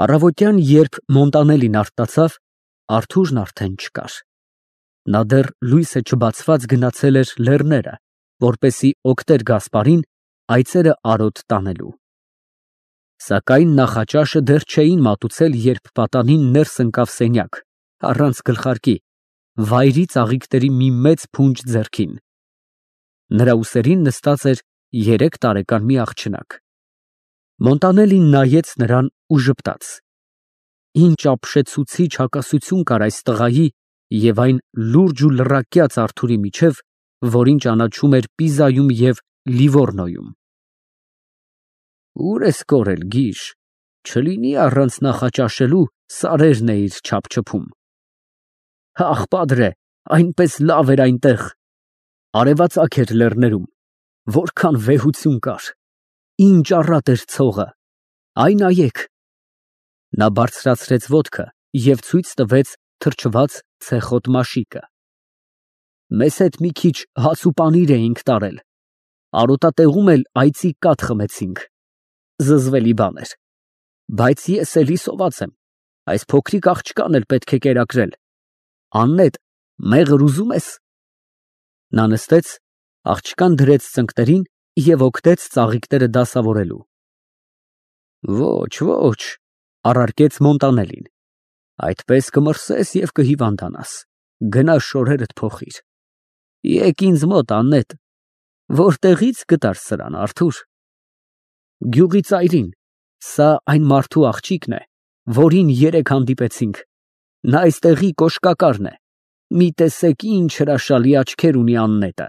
Առավոտյան, երբ Մոնտանելին արթնացավ, Արթուրն արդեն չկար։ Նա դեռ լույսը չբացված գնացել էր լեռները, որպեսզի օգներ Գասպարին այծերը արոտ տանելու։ Սակայն նախաճաշը դեռ չէին մատուցել, երբ պատանին ներս ընկավ սենյակ, առանց գլխարկի, վայրի ծաղիկների մի մեծ փունջ ձեռքին։ Նրա ուսերին նստած էր 3 տարեկան մի աղջնակ։ Մոնտանելին նայեց նրան ու ժպտաց. ինչ ապշեցուցիչ հակասություն կար այս տղայի և այն լուրջ ու լռակյաց Արթուրի միջև, որին ճանաչում էր Պիզայում և Լիվորնոյում։ Ուր ես կորել, գիժ, չլինի առանց նախաճաշելու սարերն էիր չափչփում։ Ախ, պատրե, այնպես լավ էր այնտեղ։ Արևածագ էր լեռներում, որքան վեհություն կար, ինչ առատ էր ցողը, այ նայեք։ Նա բարձրացրեց ոտքը և ցույց տվեց թրջված ցեխոտ մաշիկը։ Մեզ հետ մի քիչ հաց ու պանիր էինք տարել, արոտատեղում էլ այծի կաթ խմեցինք, զզվելի բան էր, բայց ես էլի սոված եմ, այս փոքրիկ աղջկան էլ պետք է կերակրել։ Աննետ, մեղր ուզում ես։ Նա նստեց, աղջկան դրեց ծնկներին և օգնեց ծաղիկները դասավորելու։ Ոչ, ոչ, առարկեց Մոնտանելին, այդպես կմրսես և կհիվանդանաս, գնա շորերդ փոխիր։ Եկ ինձ մոտ, Աննետ, որտեղի՞ց գտար սրան, Արթուր։ Գյուղի ծայրին, սա այն մարդու աղջիկն է, որին երեկ հանդիպեցինք, նա այստեղի կոշկակարն է, մի տեսեք ինչ հրաշալի աչքեր ունի Աննետը,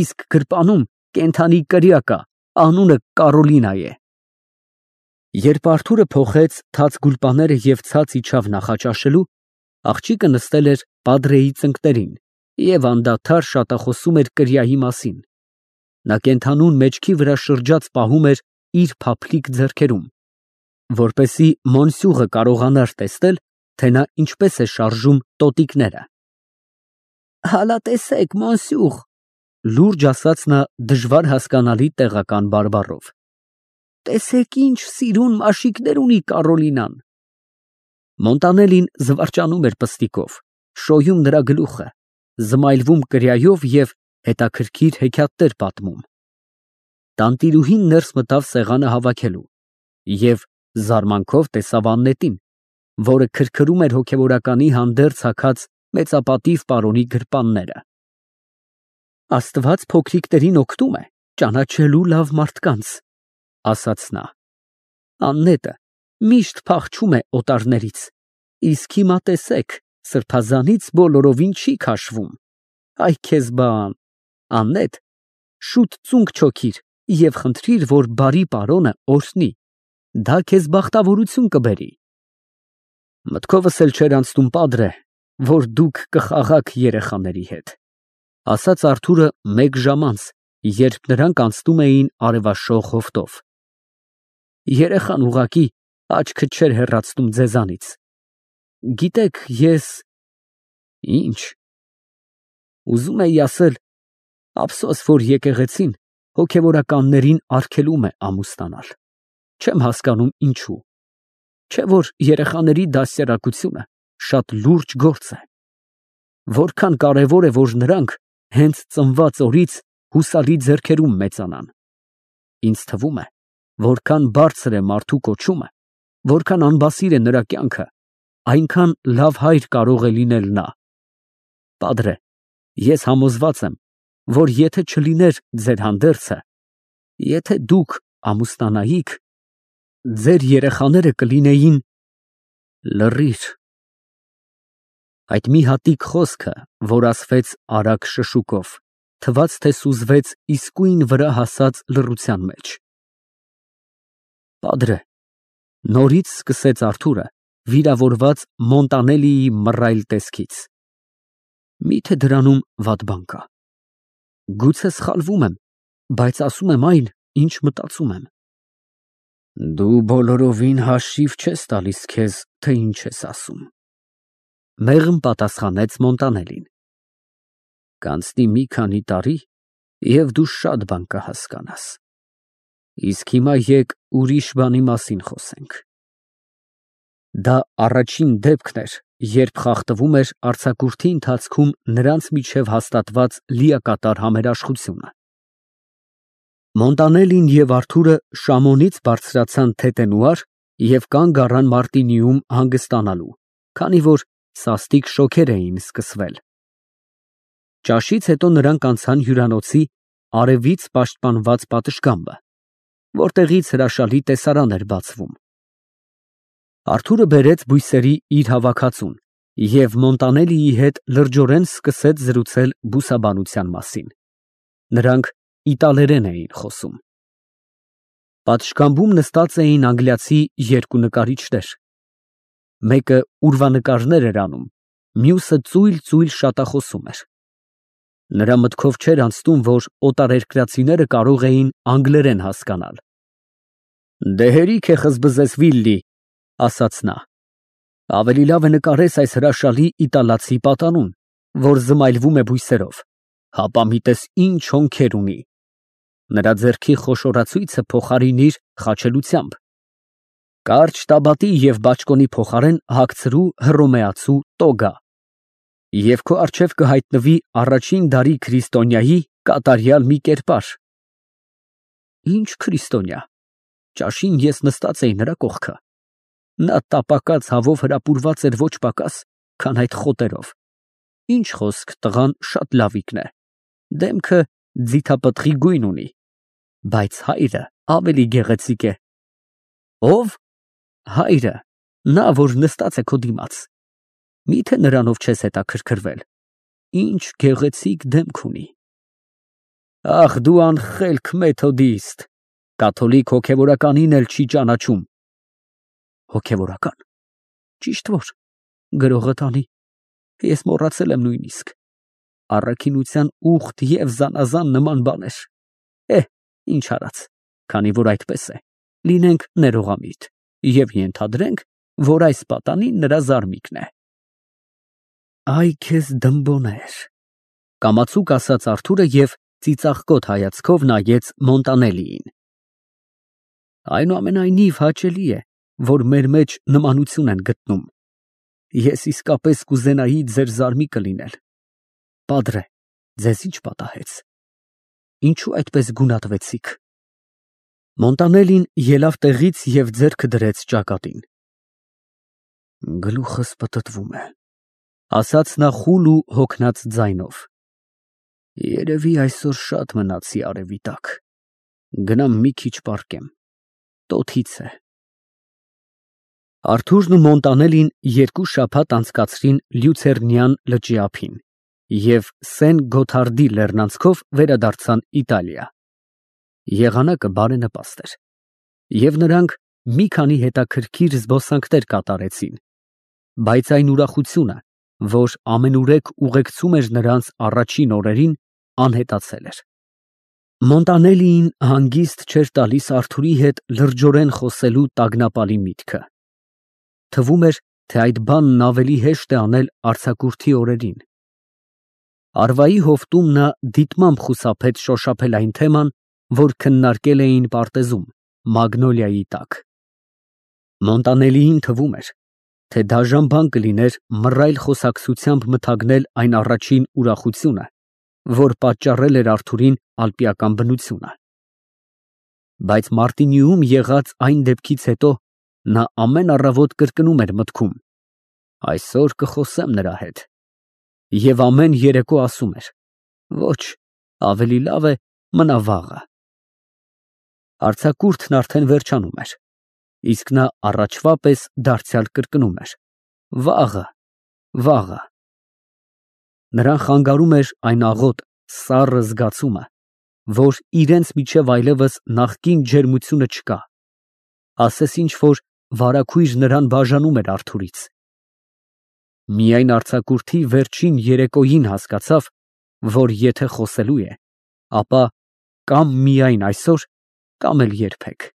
իսկ գրպանում կենդանի կրիա կա, անունը Կարոլինա է։ Երբ Արթուրը փոխեց թաց գուլպաները և ցած իջավ նախաճաշելու, աղջիկը նստել էր պատրեի ծնկներին և անդադար շատախոսում էր կրիայի մասին։ Նա կենդանուն մեջքի վրա շրջած պահում էր իր փափլիկ ձեռքերում, որպեսզի Մոնսյուղը կարողանար տեսնել, թե նա ինչպես է շարժում տոտիկները։ Հալա տեսեք, Մոնսյուղ, լուրջ ասաց նա դժվար հասկանալի տեղական բարբառով։ Տեսեք ինչ սիրուն մաշիկներ ունի Կարոլինան։ Մոնտանելին զվարճանում էր պստիկով, շոյում նրա գլուխը, զմայլվում կրիայով և հետաքրքիր հեքիաթներ պատմում։ Տանտիրուհին ներս մտավ սեղանը հավաքելու և զարմանքով տեսավ Աննետին, որը քրքրում էր հոգևորականի հանդերձ հագած մեծապատիվ պարոնի գրպանները։ Աստված փոքրիկներին օգնում է ճանաչելու լավ մարդկանց, ասաց նա։ Աննետը միշտ փախչում է օտարներից, իսկ հիմա տեսեք, սրբազանից բոլորովին չի քաշվում։ Այ քեզ բան, Աննետ, շուտ ծունկ չոքիր և խնդրիր, որ բարի պարոնը օրհնի, դա քեզ բախտավորություն կբերի։ Մտքովս էլ չէր անցնում, պատրե, որ դուք կխաղաք երեխաների հետ, ասաց Արթուրը մեկ ժամ անց, երբ նրանք անցնում էին արևաշող հովտով։ Երեխան ուղղակի աչքը չէր հեռացնում ձեզանից։ Գիտեք, ես… Ինչ։ Ուզում էի ասել, ափսոս, որ եկեղեցին հոգևորականներին արգելում է ամուսնանալ։ Չեմ հասկանում ինչու։ Չէ՞ որ երեխաների դաստիարակությունը շատ լուրջ գործ է։ Որքան կարևոր է, որ նրանք հենց ծնված օրից հուսալի ձեռքերում մեծանան։ Ինձ թվում է, որքան բարձր է մարդու կոչումը, որքան անբասիր է նրա կյանքը, այնքան լավ հայր կարող է լինել նա։ Պատրե, ես համոզված եմ, որ եթե չլիներ ձեր հանդերձը, եթե դուք ամուսնանայիք, ձեր երեխաները կլինեին… Լռիր։ Այդ մի հատիկ խոսքը, որ ասվեց արագ շշուկով, թվաց, թե սուզվեց իսկույն վրա հասած լռության մեջ։ Պատրե, նորից սկսեց Արթուրը, վիրավորված Մոնտանելիի մռայլ տեսքից։ Միթե դրանում վատ բան կա։ Գուցե սխալվում եմ, բայց ասում եմ այն, ինչ մտածում եմ։ Դու բոլորովին հաշիվ չես տալիս քեզ, թե ինչ ես ասում, մեղմ պատասխանեց Մոնտանելին։ Կանցնի մի քանի տարի, և դու շատ բան կհասկանաս։ Իսկ հիմա եկ ուրիշ բանի մասին խոսենք։ Դա առաջին դեպքն էր, երբ խախտվում էր արձակուրդի ընթացքում նրանց միջև հաստատված լիակատար համերաշխությունը։ Մոնտանելին և Արթուրը Շամոնից բարձրացան Թետենուար և կանգ առան Մարտինիում հանգստանալու, քանի որ սաստիկ շոգեր էին սկսվել։ Ճաշից հետո նրանք անցան հյուրանոցի արևից պաշտպանված պատշգամբը, որտեղից հրաշալի տեսարան էր բացվում։ Արթուրը բերեց բույսերի իր հավաքածուն և Մոնտանելիի հետ լրջորեն սկսեց զրուցել բուսաբանության մասին։ Նրանք իտալերեն էին խոսում։ Պատշգամբում նստած էին անգլիացի երկու նկարիչներ։ Մեկը ուրվանկարներ էր անում, մյուսը ծույլ շատախոսում էր։ Նրա մտքով չէր անցնում, որ օտարերկրացիները կարող էին անգլերեն հասկանալ։ «Դե հերիք է խզբզես, Վիլլի», ասաց նա։ «Ավելի լավ է նկարես այս հրաշալի իտալացի պատանուն, որ զմայլվում է բույսերով, հապա մի տես ինչ հոնքեր ունի։ Նրա ձեռքի խոշորացույցը փոխարինիր խաչելությամբ։ Կարճ տաբատի և բաճկոնի փոխարեն հագցրու հռոմեացու տոգա, և քո առջև կհայտնվի առաջին դարի քրիստոնյայի կատարյալ մի կերպար»։ Ինչ քրիստոնյա։ Ճաշին ես նստած էի նրա կողքը։ Նա տապակած հավով հրապուրված էր ոչ պակաս, քան այդ խոտերով։ Ինչ խոսք, տղան շատ լավիկն է, դեմքը ձիթապտղի գույն ունի, բայց հայրը ավելի գեղեցիկ է։ Ո՞վ։ Հայրը, նա, որ նստած է քո դիմաց։ Միթե նրանով չես հետաքրքրվել։ Ինչ գեղեցիկ դեմք ունի։ Ախ, դու անխելք մեթոդիստ, կաթոլիկ հոգևորականին էլ չի ճանաչում։ Հոգևորական։ Ճիշտ որ, գրողը տանի, ես մոռացել եմ նույնիսկ։ Առաքինության ուխտ և զանազան նման բաներ։ Ինչ արած, քանի որ այդպես է, լինենք ներողամիտ և ենթադրենք, որ այս պատանին նրա զարմիկն է։ Այ քեզ դմբոներ, կամացուկ ասաց Արթուրը և ծիծաղկոտ հայացքով նայեց Մոնտանելիին։ Այնուամենայնիվ հաճելի է, որ մեր մեջ նմանություն են գտնում։ Ես իսկապես կուզենայի ձեր զարմիկը լինել։ Պատրե, ձեզ ինչ պատահեց։ Ինչու այդպես գունատվեցիք։ Մոնտանելին ելավ տեղից և ձեռքը դրեց ճակատին։ Գլուխս պտտվում է, ասաց նա խուլ ու հոգնած ձայնով։ Երևի այսօր շատ մնացի արևի տակ։ Գնամ մի քիչ պառկեմ, տոթից է։ Արթուրն ու Մոնտանելին 2 շաբաթ անցկացրին Լյուցերնյան լճի ափին և Սեն Գոթարդի լեռնանցքով վերադարձան Իտալիա։ Եղանակը բարենպաստ էր, և նրանք մի քանի հետաքրքիր զբոսանքներ կատարեցին, բայց այն ուրախությունը, որ ամենուրեք ուղեկցում էր նրանց առաջին օրերին, անհետացել էր։ Մոնտանելիին հանգիստ չէր տալիս Արթուրի հետ լրջորեն խոսելու տագնապալի միտքը։ Թվում էր, թե այդ բանն ավելի հեշտ է անել արձակուրդի օրերին։ Արվայի հովտում նա դիտմամբ խուսափեց շոշափել այն թեման, որ քննարկել էին պարտեզում, մագնոլիայի տակ։ Մոնտանելիին թվում էր, թե դաժան բան կլիներ մռայլ խոսակցությամբ մթագնել այն առաջին ուրախությունը, որ պատճառել էր Արթուրին ալպիական բնությունը։ Բայց Մարտինիում եղած այն դեպքից հետո նա ամեն առավոտ կրկնում էր մտքում. այսօր կխոսեմ նրա հետ, և ամեն երեկո ասում էր. ոչ, ավելի լավ է մնա վաղը։ Արձակուրդն արդեն վերջանում էր, իսկ նա առաջվա պես դարձյալ կրկնում էր. վաղը, վաղը։ Նրան խանգարում էր այն աղոտ, սառը զգացումը, որ իրենց միջև այլևս նախկին ջերմությունը չկա, ասես ինչ-որ վարագույր նրան բաժանում էր Արթուրից։ Միայն արձակուրդի վերջին երեկոյին հասկացավ, որ եթե խոսելու է, ապա կամ միայն այսօր, կամ էլ երբեք։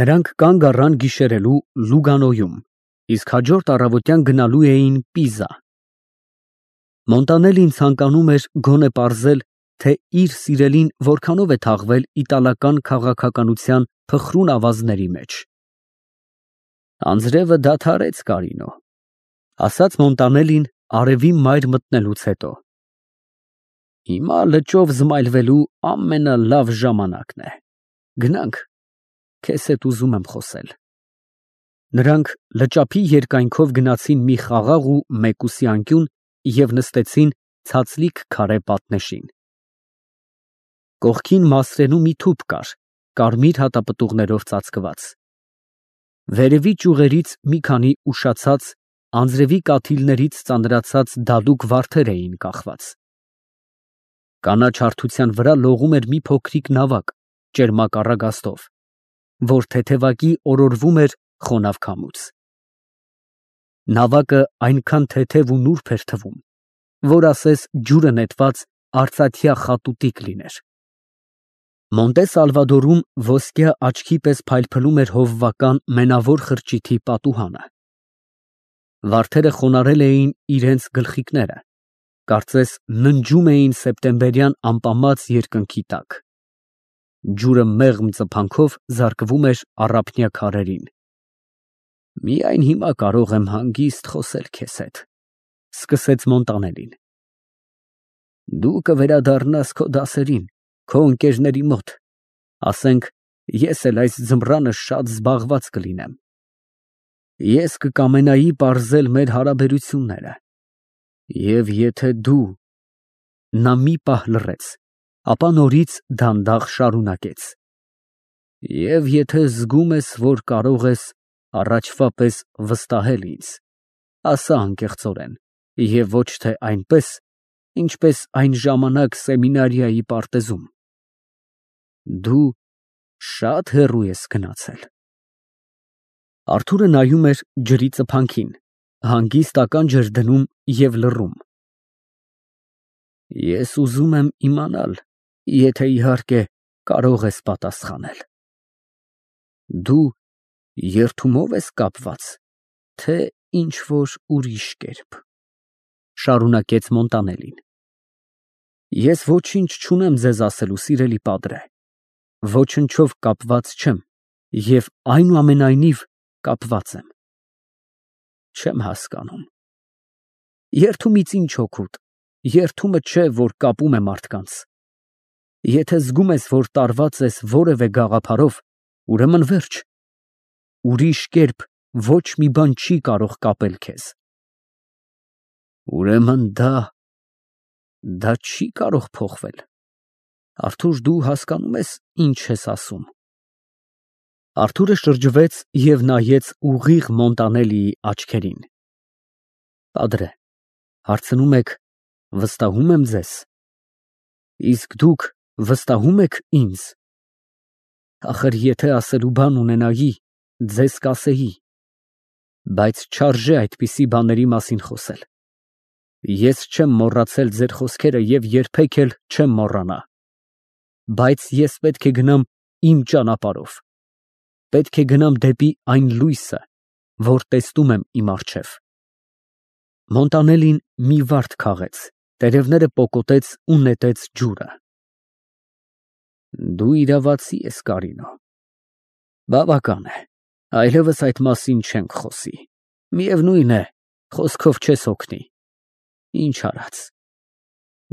Նրանք կանգ առան գիշերելու Լուգանոյում, իսկ հաջորդ առավոտյան գնալու էին Պիզա։ Մոնտանելին ցանկանում էր գոնե պարզել, թե իր սիրելին որքանով է թաղվել իտալական քաղաքականության փխրուն ավազների մեջ։ Անձրևը դադարեց, Կարինո, ասաց Մոնտանելին արևի մայր մտնելուց հետո։ Հիմա լճով զմայլվելու ամենալավ ժամանակն է։ Գնանք, քեզ հետ ուզում եմ խոսել։ Նրանք լճափի երկայնքով գնացին մի խաղաղ ու մեկուսի անկյուն և նստեցին ցածլիկ քարե պատնեշին։ Կողքին մասրենու մի թուփ կար, կարմիր հատապտուղներով ծածկված։ Վերևի ճյուղերից մի քանի ուշացած, անձրևի կաթիլներից ծանրացած դալուկ վարդեր էին կախված։ Կանաչ հարթության վրա լողում էր մի փոքրիկ նավակ ճերմակառագաստով, որ թեթևակի օրորվում էր խոնավ քամուց։ Նավակը այնքան թեթև ու նուրբ էր թվում, որ ասես ջուրը նետված արծաթյա խատուտիկ լիներ։ Մոնտե Սալվադորում ոսկյա աչքի պես փայլփլում էր հովվական մենավոր խրճիթի պատուհանը։ Վարդերը խոնարհել էին իրենց գլխիկները, կարծես ննջում էին սեպտեմբերյան ամպամած երկնքի տակ։ Ջուրը մեղմ ծփանքով զարկվում էր առափնյա քարերին։ Միայն հիմա կարող եմ հանգիստ խոսել քեզ հետ, սկսեց Մոնտանելին։ Դու կվերադառնաս քո դասերին, քո ընկերների մոտ, ասենք, ես էլ այս ձմռանը շատ զբաղված կլինեմ։ Ես կկամենայի պարզել մեր հարաբերությունները։ Եվ եթե դու… Նա մի պահ լռեց, ապա նորից դանդաղ շարունակեց. Եվ եթե զգում ես, որ կարող ես առաջվա պես վստահել ինձ, ասա անկեղծորեն, և ոչ թե այնպես, ինչպես այն ժամանակ սեմինարիայի պարտեզում։ Դու շատ հեռու ես գնացել։ Արթուրը նայում էր ջրի ծփանքին, հանգիստ ականջ էր դնում և լռում։ Ես ուզում եմ իմանալ, եթե իհարկե կարող ես պատասխանել։ Դու երդումով ես կապված, թե ինչ֊որ ուրիշ կերպ, շարունակեց Մոնտանելին։ Ես ոչինչ չունեմ ձեզ ասելու, սիրելի պատրե, ոչնչով կապված չեմ և այնուամենայնիվ կապված եմ։ Չեմ հասկանում։ Երդումից ինչ օգուտ, երդումը չէ, որ կապում է մարդկանց։ Եթե զգում ես, որ տարված ես որևէ գաղափարով, ուրեմն վերջ։ Ուրիշ կերպ ոչ մի բան չի կարող կապել քեզ։ Ուրեմն դա չի կարող փոխվել։ Արթուր, դու հասկանում ես, ինչ ես ասում։ Արթուրը շրջվեց և նայեց ուղիղ Մոնտանելիի աչքերին։ Պատրե, հարցնում եք, վստահում եմ ձեզ։ Իսկ դուք վստահում եք ինձ։ Ախր եթե ասելու բան ունենայի, ձեզ կասեի, բայց չարժե այդպիսի բաների մասին խոսել։ Ես չեմ մոռացել ձեր խոսքերը և երբեք էլ չեմ մոռանա։ Բայց ես պետք է գնամ իմ ճանապարհով։ Պետք է գնամ դեպի այն լույսը, որ տեսնում եմ իմ առջև։ Մոնտանելին մի վարդ քաղեց, տերևները պոկոտեց ու նետեց ջուրը։ Դու իրավացի ես, Կարինո։ Բավական է, այլևս այդ մասին չենք խոսի։ Միևնույն է, խոսքով չես օգնի։ Ինչ արած։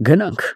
Գնանք։